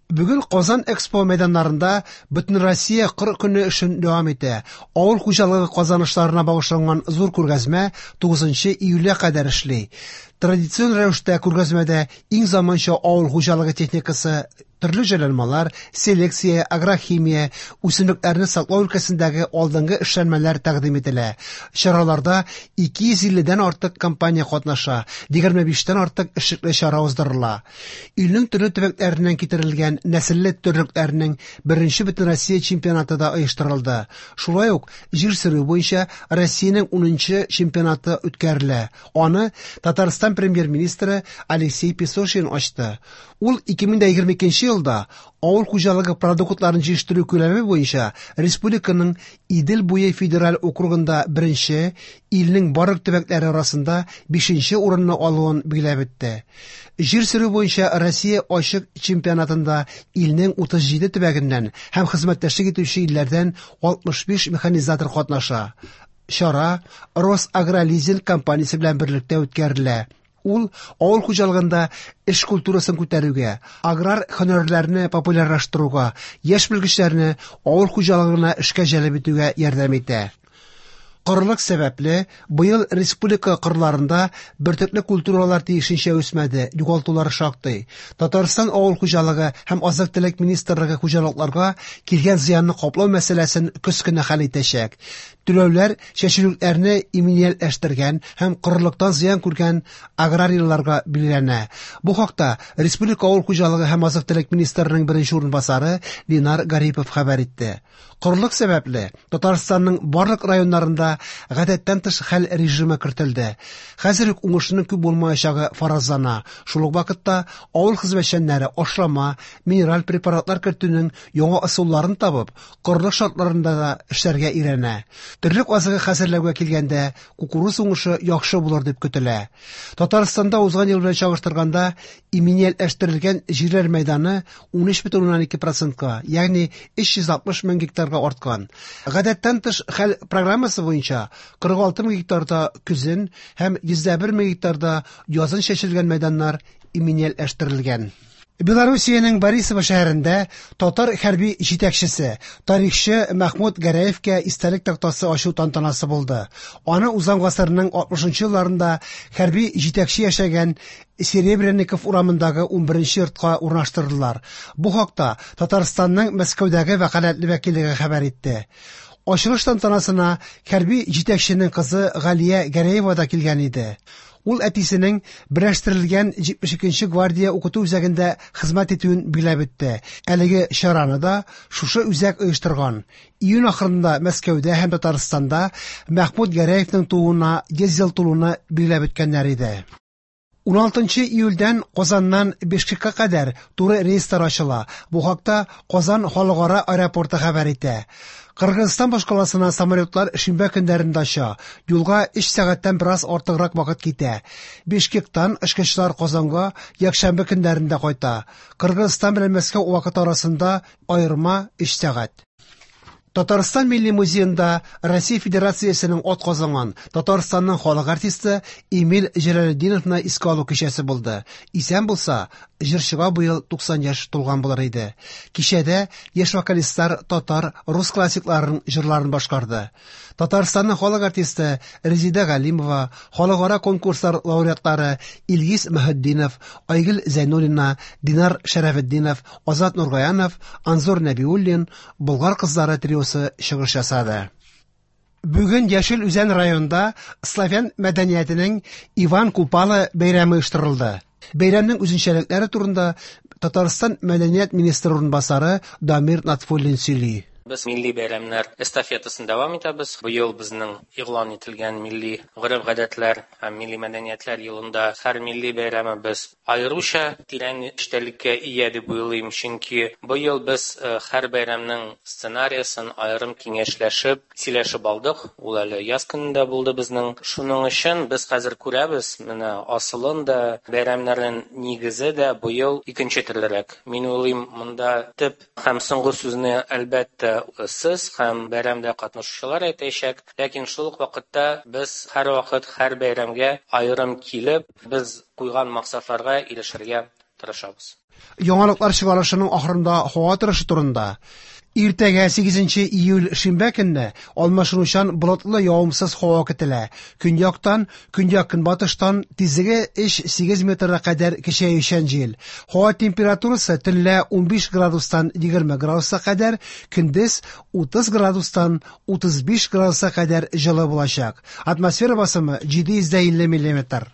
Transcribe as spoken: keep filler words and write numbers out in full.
Бүген Казан Экспо мәйданнарында Бөтенроссия кыр көне эшен дәвам итә. Авыл хуҗалыгы казанышларына багышланган зур күргәзмә тугызынчы июльгә кадәр эшли. Традицион рәвештә күргәзмәдә иң заманча авыл хуҗалыгы техникасы, төрле җайланмалар, селекция, агрохимия, үсемлекләрне саклау өлкәсендәге алдынгы эшләнмәләр тәкъдим ителә. Чараларда ике йөз илледән артык компания катнаша, егерме биштән артык эшлекле чара уздырыла. Илнең төрле төбәкләреннән китерелгән нәселле терлекләрнең беренче Бөтенроссия чемпионаты да оештырылды. Шулай ук җир сөрү буенча Россиянең унынчы чемпионаты үткәрелә. Аны Татарстан премьер-министры Алексей Песошин ачты. Ул ике мең дә егерме икенче елда авыл хуҗалыгы продуктларын җитештерү күләме буенча республиканың Идел буе федераль округында беренче, илнең барлык төбәкләре арасында бишенче урынны алуын билгеләп үтте. Җир сөрү буенча Россия ачык чемпионатында илнең утыз җиде төбәгеннән һәм хезмәттәшлек итүче илләрдән алтмыш биш механизатор катнаша. Чара Росагролизинг компаниясе белән берлектә үткәрелә. Ул авыл хуҗалыгында эш культурасын күтәрүгә, аграр һөнәрләрне популярлаштыруга, яшь белгечләрне авыл хуҗалыгына эшкә җәлеп итүгә ярдәм итә. Корылык сәбәпле, быел республика кырларында бөртекле культуралар тиешенчә үсмәде, югалтулар шактый. Татарстан авыл хуҗалыгы һәм азык-төлек министрлыгы хуҗалыкларга килгән зыянны каплау мәсьәләсен көз көне хәл итәчәк. Түләүләр чәчүлекләрне иминиятләштергән һәм корылыктан зыян күргән аграрийларга билгеләнә. Бу хакта Республика авыл хуҗалыгы һәм азык-төлек министрының беренче урынбасары Ленар Гарипов хәбәр итте. Корылык сәбәпле Татарстанның барлык районнарында гадәттән тыш хәл режимы кертелде. Хәзер үк уңышның күп булмаячагы фаразлана. Шул ук вакытта авыл хезмәтчәннәре ашлама, минераль препаратлар кертүнең яңа ысулларын табып, корылык шартларында да эшләргә өйрәнә. Терлек азыгы хәзерләүгә килгәндә, кукуруз уңышы яхшы булыр дип көтелә. Татарстанда узган ел белән чагыштырганда иминиятләштерелгән җирләр мәйданы ун өч бөтен уннан ике процентка, ягъни өч йөз алтмыш мең гектарга арткан. Гадәттән тыш хәл программасы буенча кырык алты мең гектарда көзен һәм йөз дә бер мең гектарда язын чәчелгән мәйданнар иминиятләштерелгән. Белоруссиянең Борисово шәһәрендә татар хәрби җитәкчесе, тарихчы Мәхмүт Гәрәевкә истәлек тактасы ачу тантанасы булды. Аны узган гасырның алтмышынчы елларында хәрби җитәкче яшәгән Серебряников урамындагы унберенче йортка урнаштырдылар. Бу хакта Татарстанның Мәскәүдәге вәкаләтле вәкиллеге хәбәр итте. Ачылыш тантанасына хәрби җитәкченең кызы Галия Гәрәева да килгән иде. Ул әтисенең берләштерелгән җитмеш икенче гвардия укыту үзәгендә хезмәт итүен билгеләп үтте. Әлеге чараны да шушы үзәк оештырган. Июнь ахырында Мәскәүдә һәм Татарстанда Мәхмүт Гәрәевнең тууына йөз ел тулуны билгеләп үткәннәр иде. Уналтынчы июльдән Казаннан Бишкекка кадәр туры рейслар ачыла. Бу хакта Казан халыкара аэропорты хәбәр итә. Кыргызстан башкаласына самолетлар шимбә көннәрендә оча. Юлга өч сәгатьтән бераз артыграк вакыт китә. Бишкектан очкычлар Казанга якшәмбе көннәрендә кайта. Кыргызстан белән Мәскәү вакыты арасында аерма өч сәгать. Татарстан Милли музеенда Россия Федерациясенең ат казанган Татарстанның халык артисты Эмиль Җәләлетдиновны искә алу кичәсе булды. Исән булса, җырчыга быел туксан яшь тулган булыр иде. Кичәдә яшь вокалистлар татар, рус классикларының җырларын башкарды. Татарстанның халык артисты Резида Галимова, халыкара конкурслар лауреатлары Илгиз Мөхетдинов, Айгөл Зәйнуллина, Динар Шәрәфетдинов, Азат Нургаянов, Анзор Нәбиуллин, Болгар кызлары триосы чыгыш ясады. Бүген Яшел Үзән районында славян мәдәниятенең Иван Купала бәйрәме оештырылды. Бәйрәмнең үзенчәлекләре турында Татарстан мәдәният министры урынбасары Дамир Натфуллин сөйли. Без милли бәйрәмнәр эстафетасын дәвам итәбез. Быел безнең игълан ителгән милли гореф-гадәтләр һәм милли мәдәниятләр елында һәр милли бәйрәмебез аеруча тирән эчтәлеккә ия дип уйлыйм, чөнки быел без, э, һәр бәйрәмнең сценариясын аерым киңәшләшеп, сөйләшеп алдык. Ул әле яз көнендә булды безнең. Шуның өчен без хәзер күрәбез, менә асылын да, бәйрәмнәрнең нигезе дә быел икенче төрлерәк. Мин уйлыйм, монда төп һәм соңгы сүзне әлбәттә сез һәм бәйрәмдә катнашучылар әйтәчәк, ләкин шул ук вакытта без һәр вакыт һәр бәйрәмгә аерым килеп, без куйган максатларга ирешергә тырышабыз. Яңалыклар чыгарылышының ахырында һава торышы турында. Иртәгә сигезенче июль шимбә көнне алмашынучан болытлы явымсыз һава көтелә. Көньяктан, көньяк-көнбатыштан тизлеге өч-сигез метрга кадәр көчәючән җил. Һава температурасы төнлә унбиш градустан егерме градуска кадәр, көндез утыз градустан утыз биш градуска кадәр җылы булачак. Атмосфера басымы җиде йөз дә илле миллиметр.